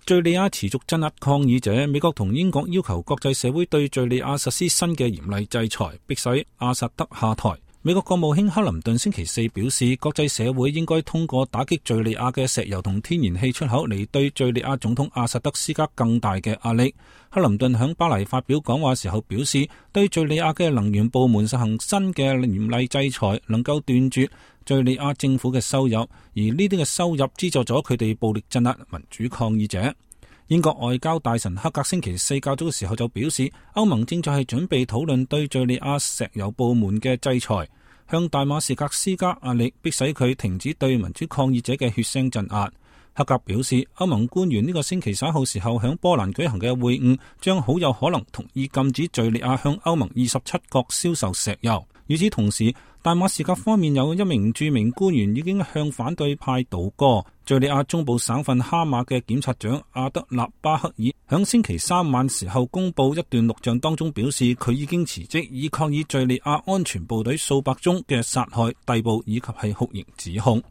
敘利亞持續鎮壓抗議者，美國同英國要求國際社會對敘利亞實施新嘅嚴厲制裁，迫使阿薩德下台。美國國務卿克林頓星期四表示，國際社會應該通過打擊敘利亞嘅石油同天然氣出口嚟對敘利亞總統阿薩德施加更大嘅壓力。克林頓喺巴黎發表講話時候表示，對敘利亞嘅能源部門實行新嘅嚴厲制裁，能夠斷絕敘利亞政府嘅收入，而呢啲嘅收入資助咗佢哋暴力鎮壓民主抗議者。英國外交大臣克格星期四較早嘅時候就表示，歐盟正在係準備討論對敘利亞石油部門嘅制裁，向大馬士革施加壓力，迫使佢停止對民主抗議者嘅血腥鎮壓。克格表示，歐盟官員呢個星期稍後時候響波蘭舉行嘅會晤，將好有可能同意禁止敘利亞向歐盟27國銷售石油。與此同時，大馬士革方面有一名著名官員已經向反對派倒戈。敘利亞中部省份哈馬嘅檢察長阿德納巴克爾響星期三晚時候公布一段錄像當中表示，佢已經辭職，以抗議敘利亞安全部隊數百宗嘅殺害、逮捕以及係酷刑指控。